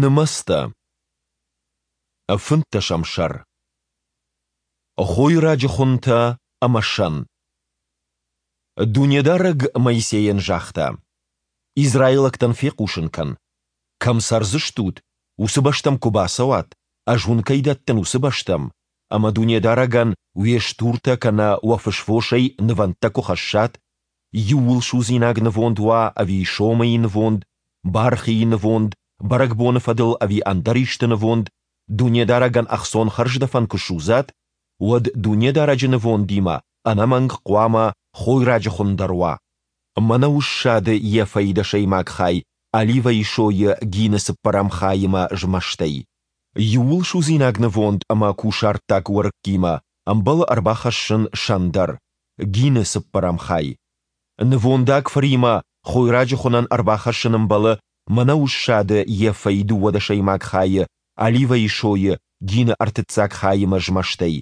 Нымӕцтӕ. Фынддӕсӕм сӕр. Хойраджы хуынтӕ ӕмӕ сӕн. Дунедарӕг Моисейӕн загъта: Израилӕгтӕн фехъусын кӕн, кӕм цӕрдзыстут, уыцы бӕстӕм куы бацӕуат, Ӕз уын кӕй дӕттын, уыцы бӕстӕм, ӕмӕ Дунедарӕгӕн уе стуртӕ кӕнӕ уӕ фысвосӕй нывӕндтӕ куы хӕссат, иууылсудзинаг нывонд уа ӕви сомыйы нывонд, бархийы нывонд, бӕрӕгбоны фӕдыл ӕви ӕндӕр исты нывонд, Дунедарӕгӕн ӕхцон хӕрздӕфӕн куы судзат, уӕд Дунедарӕджы нывондимӕ ӕнӕмӕнг хъуамӕ хойраджы хуын дӕр уа. Мӕнӕуы ссады ефӕйы дӕсӕймаг хай оливӕйы сойы гины цыппӕрӕм хаимӕ змӕстӕй. Иууылсудзинаг нывонд ӕмӕ кусӕрттаг уӕрыккимӕ ӕмбӕлы ӕрбахӕссын сӕн дӕр, гины цыппӕрӕм хай. Нывондаг фыримӕ хойраджы хуынӕн ӕрбахӕссын ӕмбӕлы мӕнӕуы ссады ефӕйы дыууадӕсӕймаг хайы оливӕйы сойы гины ӕртыццаг хаимӕ змӕстӕй.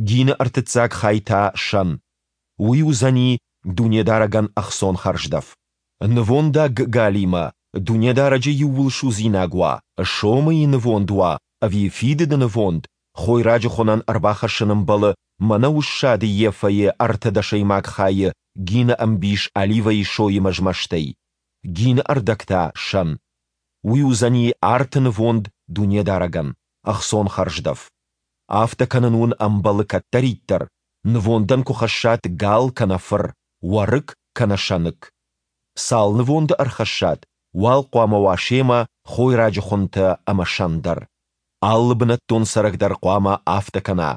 Гины ӕртыццаг хай та сӕн. Уый уыдзӕни Дунедарӕгӕн ӕхцон хӕрздӕф. Нывондаг галимӕ Дунедарӕджы иууылсудзинаг уа, сомыйы нывонд уа ӕви фидыды нывонд, хойраджы хуынӕн ӕрбахӕссын ӕмбӕлы мӕнӕуы ссады ефӕйы ӕртӕдӕсӕймаг хайы гины ӕмбис оливӕйы соимӕ змӕстӕй, гины ӕрдӕг та сӕн. Уый уыдзӕни арты нывонд Дунедарӕгӕн, ӕхцон хӕрздӕф. Афтӕ кӕнын уын ӕмбӕлы кӕддӕриддӕр, нывондӕн куы хӕссат гал кӕнӕ фыр, уӕрыкк кӕнӕ сӕныкк. Цал нывонды ӕрхӕссат, уал хъуамӕ уа семӕ хойраджы хуынтӕ ӕмӕ сӕн дӕр. Алы бынӕттон цӕрӕг дӕр хъуамӕ афтӕ кӕна,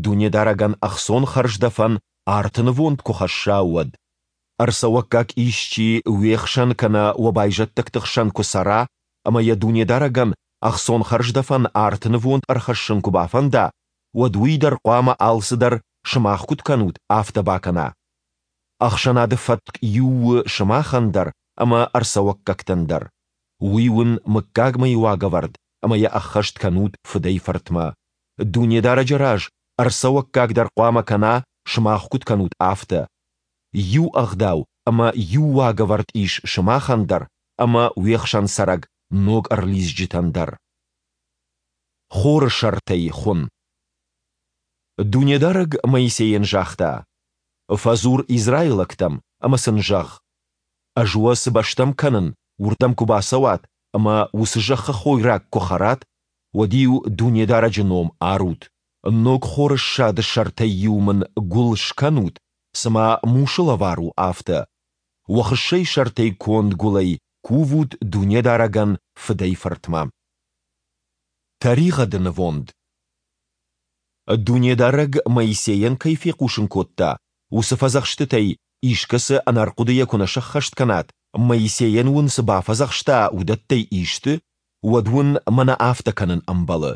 Дунедарӕгӕн ӕхцон хӕрздӕфӕн арты нывонд куы хӕсса, уӕд. Ӕрцӕуӕггаг исчи уе хсӕн кӕнӕ уӕ байзӕддӕгты хсӕн куы цӕра ӕмӕ йӕ Дунедарӕгӕн ӕхцон хӕрздӕфӕн арты нывонд ӕрхӕссын куы бафӕнда, уӕд уый дӕр хъуамӕ алцыдӕр, сымах куыд кӕнут, афтӕ бакӕна. Ӕхсӕнады фӕтк иу у сымахӕн дӕр ӕмӕ ӕрцӕуӕггӕгтӕн дӕр. Уый уын мыггагмӕйы уагӕвӕрд ӕмӕ йӕ ӕххӕст кӕнут фыдӕй-фыртмӕ. Дунедарӕджы раз ӕрцӕуӕггаг дӕр хъуамӕ кӕна, сымах куыд кӕнут, афтӕ. Иу ӕгъдау ӕмӕ иу уагӕвӕрд ис сымахӕн дӕр ӕмӕ уе хсӕн цӕрӕг ног ӕрлидзджытӕн дӕр. Хоры сӕртӕй хуын. Дунедарӕг Моисейӕн загъта: «Фӕдзур израилӕгтӕм ӕмӕ сын зӕгъ: Ӕз уӕ цы бӕстӕм кӕнын, уырдӕм куы бацӕуат ӕмӕ уыцы зӕххы хойраг куы хӕрат, уӕд-иу Дунедарӕджы ном арут. Ног хоры ссады сӕртӕй-иу мын гуыл скӕнут, цыма мусы лӕвар у, афтӕ. Уӕ хыссӕйы сӕртӕй конд гуылӕй кувут Дунедарӕгӕн фыдӕй-фыртмӕ. Тӕригъӕды нывонд. Дунедарӕг Моисейӕн кӕй фехъусын кодта, уыцы фӕдзӕхстытӕй искӕцы ӕнӕрхъуыдыйӕ куы нӕ сӕххӕст кӕнат, Моисейӕн уын цы бафӕдзӕхста, уыдӕттӕй исты, уӕд уын мӕнӕ афтӕ кӕнын ӕмбӕлы.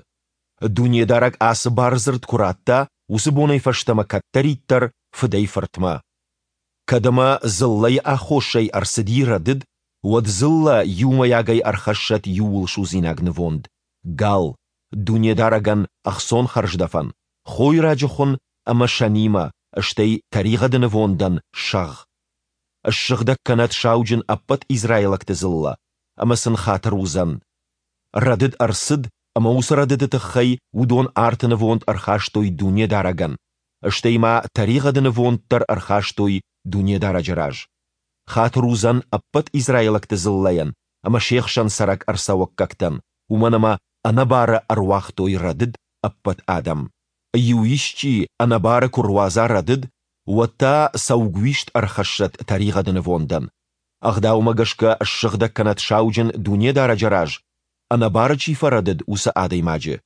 Дунедарӕг ацы бардзырд куы радта, уыцы бонӕй фӕстӕмӕ кӕддӕриддӕр фыдӕй-фыртмӕ. Кӕд ӕмӕ дзыллӕйы аххосӕй ӕрцыди рӕдыд, уӕд дзыллӕ иумӕйагӕй ӕрхӕссӕт иууылсудзинаг нывонд, гал, Дунедарӕгӕн ӕхцон хӕрздӕфӕн, хойраджы хуын ӕмӕ сӕнимӕ, стӕй тӕригъӕды нывондӕн сӕгъ. Ссыгъдӕг кӕнӕд сауджын ӕппӕт израилӕгты дзыллӕ, ӕмӕ сын хатыр уыдзӕн. Рӕдыд ӕрцыд, ӕмӕ уыцы рӕдыды тыххӕй уыдон арты нывонд ӕрхастой Дунедарӕгӕн, стӕй ма тӕригъӕды нывонд дӕр ӕрхастой Дунедарӕджы раз. Хатыр уыдзӕн ӕппӕт израилӕгты дзыллӕйӕн ӕмӕ се хсӕн цӕрӕг ӕрцӕуӕггӕгтӕн, уымӕн ӕмӕ ӕнӕбары ӕруагътой рӕдыд ӕппӕт адӕм. Иу исчи ӕнӕбары куы руадза рӕдыд, уӕд та саугуист ӕрхӕссӕд тӕригъӕды нывондӕн. Ӕгъдаумӕ гӕсгӕ ссыгъдӕг кӕнӕд сауджын Дунедарӕджы раз, ӕнӕбары чи фӕрӕдыд, уыцы адӕймаджы.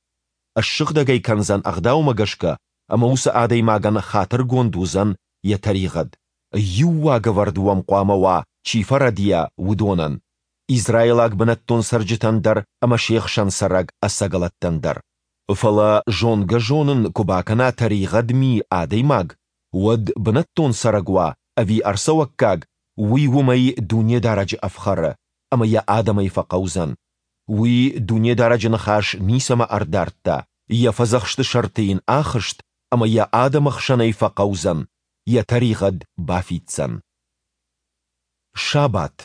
Ссыгъдӕг ӕй кӕндзӕн ӕгъдаумӕ гӕсгӕ, ӕмӕ уыцы адӕймагӕн хатыргонд уыдзӕн йӕ тӕригъӕд. Иу уагӕвӕрд уӕм хъуамӕ уа, чи фӕрӕдийа, уыдонӕн, израилаг бынӕттон цӕрджытӕн дӕр ӕмӕ се хсӕн цӕрӕг ӕцӕгӕлӕттӕн дӕр. Фӕлӕ зонгӕ-зонын куы бакӕна тӕригъӕд ми адӕймаг, уӕд бынӕттон цӕрӕг уа ӕви ӕрцӕуӕггаг, уый уымӕй Дунедарӕджы ӕфхӕры ӕмӕ йӕ адӕмӕй фӕхъӕудзӕн. Уый Дунедарӕджы ныхас ницӕмӕ ӕрдардта, йӕ фӕдзӕхсты сӕрты йын ахызт ӕмӕ йӕ адӕмы хсӕнӕй фӕхъӕудзӕн, йӕ тӕригъӕд бафиддзӕн. Сабат.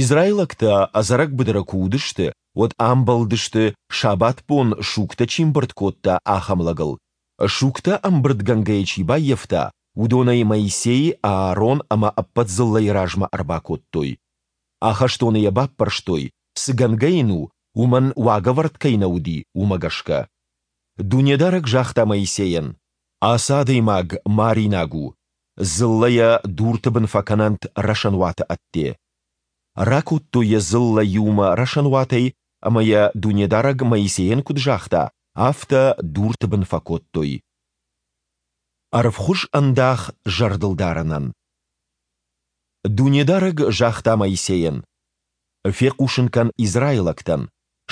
Израилӕгтӕ ӕдзӕрӕг быдыры куы уыдысты, уӕд амбӕлдысты, сабатбон сугтӕ чи ӕмбырд кодта, ахӕм лӕгыл. Сугтӕ ӕмбырдгӕнгӕйӕ чи баййӕфта, уыдон ӕй Моисей, Аарон ӕмӕ ӕппӕт дзыллӕйы размӕ ӕрбакодтой. Ахӕстоны йӕ баппӕрстой, цы гӕнгӕ йын у, уымӕн уагӕвӕрд кӕй нӕ уыди, уымӕ гӕсгӕ. Дунедарӕг загъта Моисейӕн, Ацы адӕймаг маринаг у, дзыллӕ йӕ дурты бын фӕкӕнӕнт рӕсӕнуаты ӕдде. Ракодтой йӕ дзыллӕ иумӕ рӕсӕнуатӕй ӕмӕ йӕ Дунедарӕг Моисейӕн куыд загъта, афтӕ дурты бын фӕкодтой. Ӕрвхуыз ӕндах зӕрдылдарынӕн. Дунедарӕг загъта Моисейӕн, Фехъусын кӕн израилӕгтӕн,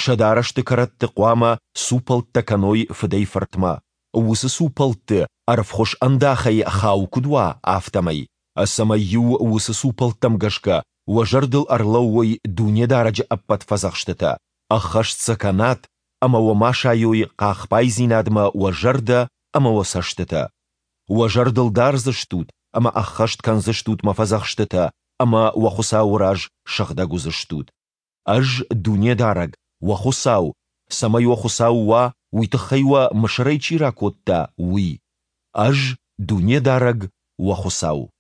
сӕ дарӕсты кӕрӕтты хъуамӕ цупӕлттӕ кӕной фыдӕй-фыртмӕ, уыцы цупӕлтты ӕрвхуыз ӕндахӕй хау куыд уа, афтӕмӕй, цӕмӕй-иу уыцы цупӕлттӕм гӕсгӕ уӕ зӕрдыл ӕрлӕууой Дунедарӕджы ӕппӕт фӕдзӕхстытӕ, ӕххӕст сӕ кӕнат ӕмӕ уӕ ма сайой хъахбайдзинадмӕ уӕ зӕрдӕ ӕмӕ уӕ цӕстытӕ. Уӕ зӕрдыл дардзыстут ӕмӕ ӕххӕст кӕндзыстут мӕ фӕдзӕхстытӕ ӕмӕ уӕ Хуыцауы раз сыгъдӕг уыдзыстут. Ӕз, Дунедарӕг, уӕ Хуыцау, цӕмӕй уӕ Хуыцау уа, уый тыххӕй уӕ Мысырӕй чи ракодта, уый. Ӕз, Дунедарӕг, уӕ Хуыцау.